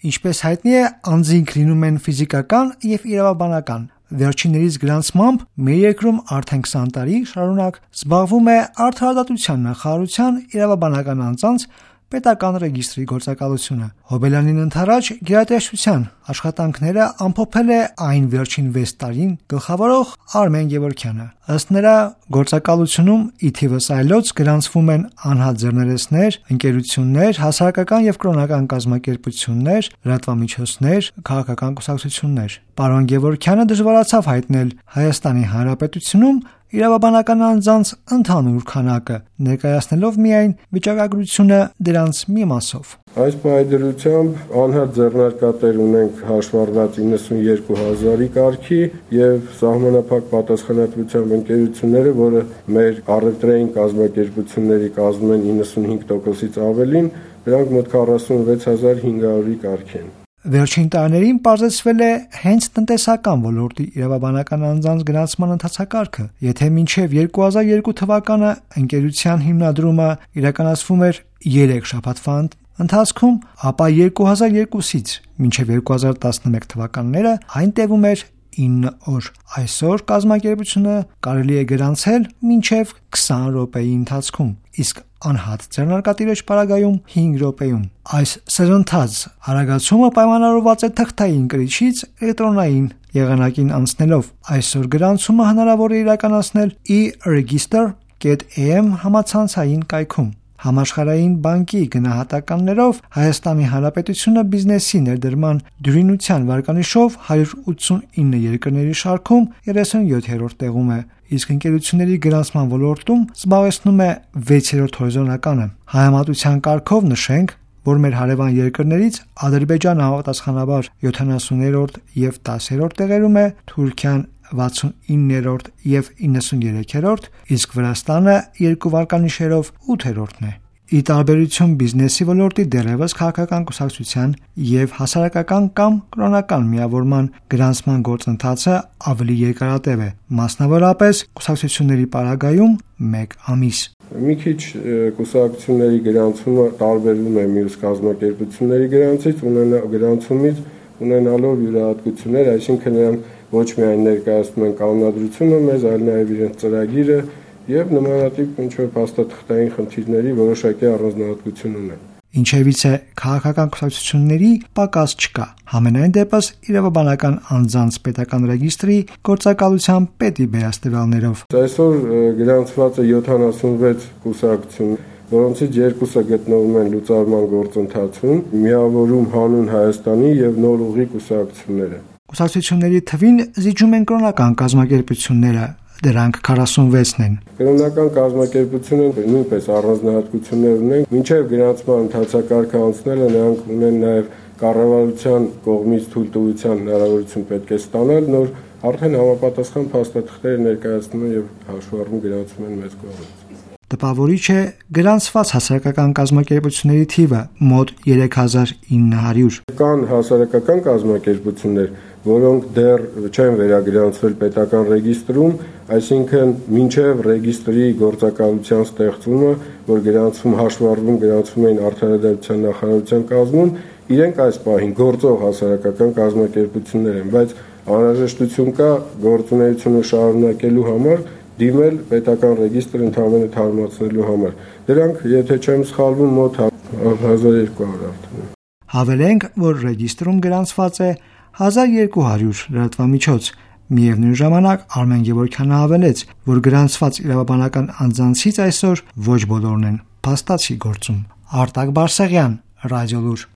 Ինչպես հայտնի է, անձինք լինում են ֆիզիկական եւ իրավաբանական։ Վերջիններիս գրանցմամբ մեր երկրում արդեն 20 տարի շարունակ զբաղվում է Արդարադատության նախարարության իրավաբանական անձանց պետական ռեգիստրի գործակալությունը։ Հոբելյանին ընդառաջ գերատեսչության աշխատանքները ամփոփել է այն վերջին 6 տարին գլխավորող Արմեն Գևորգյանը։ Ըստ նրա, գործակալությունում ի թիվս այլոց գրանցվում են անհատ ձեռներեցներ, ընկերություններ, հասարակական եւ կրոնական կազմակերպություններ, լրատվամիջոցներ, քաղաքական կուսակցություններ։ Պարոն Գևորգյանը դժվարացավ հայտնել Հայաստանի Հանրապետությունում իրավաբանական անձանց ընդհանուր քանակը, ներկայացնելով միայն վիճակագրությունը դրանց մի մասով։ Այս պայմանությամբ անհատ ձեռնարկատեր ունենք հաշվառված 92,000-ի կարգի եւ սահմանափակ պատասխանատվությամբ ընկերությունները, որը մեր առևտրային կազմակերպությունների կազմում են 95%-ից ավելին, դրանք մոտ 46,500-ի կարգ են։ Վերջին տարիներին պարզեցվել է հենց տնտեսական ոլորտի իրավաբանական անձանց գրանցման ընթացակարգը։ Եթե մինչև 2002 թվականը ընկերության հիմնադրումը իրականացվում էր 3 շաբաթվա ընթացքում, ապա 2002-ից մինչև 2011 թվականները այն տևում էր 9 օր։ Այսօր կազմակերպությունը կարելի է գրանցել մինչև 20 րոպեի ընթացքում, իսկ անհատ ձեռնարկատիրոջ պարագայում 5 րոպեում։ Այս սրընթաց արագացումը պայմանավորված է թղթային կրիչից էլեկտրոնային եղանակին անցնելով։ Այսօր գրանցումը հնարավոր է իրականացնել e-register.am համացանցային կայքում։ Համաշխարհային բանկի գնահատականներով Հայաստանի Հանրապետությունը բիզնեսի ներդրման դյուրինության վարկանիշով 189 երկրների շարքում 37-րդ տեղում է, իսկ ընկերությունների գրանցման ոլորտում զբաղեցնում է 6-րդ հորիզոնականը։ Համեմատության կարգով նշենք, որ մեր հարևան երկրներից Ադրբեջանը համապատասխանաբար 70-րդ եւ 10-րդ տեղերում է, Թուրքիան 69-րդ եւ 93-րդ, իսկ Վրաստանը երկու վարկանիշերով 8-րդն է։ Ի տարբերություն բիզնեսի ոլորտի դեռևս քաղաքական կուսակցության եւ հասարակական կամ կրոնական միավորման գրանցման գործընթացը ավելի երկարատև է, մասնավորապես կուսակցությունների պարագայում 1 ամիս։ Մի քիչ կուսակցությունների գրանցումը տարբերվում է մյուս կազմակերպությունների գրանցումից, ունենալով յուրահատկություններ, այսինքն նրանք ոչ միայն ներկայացնում են կանոնադրությունը մեզ, այլ նաև իրենց ծրագիրը եւ նմանատիպ ինչ-որ փաստաթղթային խնդիրների որոշակի առանձնահատկություն ունեն։ Ինչևից է քաղաքական կուսակցությունների պակաս չկա։ Համենայն դեպս իրավաբանական անձանց պետական ռեգիստրի գործակալության պետի վերահսկողներով։ Այսօր գրանցված է 76 կուսակցություն, որոնցից 2-ը գտնվում են լուծարման գործընթացում, միավորում հանուն Հայաստանի եւ նոր ուղի կուսակցությունները։ Կուսակցությունների թվին զիջում են կրոնական կազմակերպությունները, դրանք 46-ն են։ Կրոնական կազմակերպությունները նույնպես առանձնահատկություններ ունեն։ Մինչև գրանցման ընթացակարգը անցնելը նրանք ունեն նաև կառավարության կողմից թույլտվության հնարավորություն պետք է ստանալ, նոր արդեն համապատասխան փաստաթղթեր ներկայացնում եւ հաշվառվում գրանցում են մեծ կողմից։ Տպավորիչ է գրանցված հասարակական կազմակերպությունների թիվը մոտ 3900։ Կան հասարակական կազմակերպություններ, որոնք դեռ չեն վերագրանցվել պետական ռեգիստրում, այսինքն մինչև ռեգիստրի գործակալության ստեղծումը, որ գրանցվում էին Արդարադատության նախարարության կազմում, իրենք այս պահին գործող հասարակական կազմակերպություններ են, բայց անհրաժեշտություն կա գործունեությունը շարունակելու համար դիմել պետական ռեգիստրը ընդհանրապես թարմացնելու համար։ Դրանք, եթե չեմ սխալվում, մոտ 1200 արդեն։ Հավելենք, որ ռեգիստրում գրանցված է 1200 լրատվամիջոց։ Միևնույն ժամանակ Արմեն Գևորգյանը հավելեց, որ գրանցված իրավաբանական անձանցից այսօր ոչ բոլորն են փաստացի գործում։ Արտակ Բարսեղյան, Ռադիոլուր։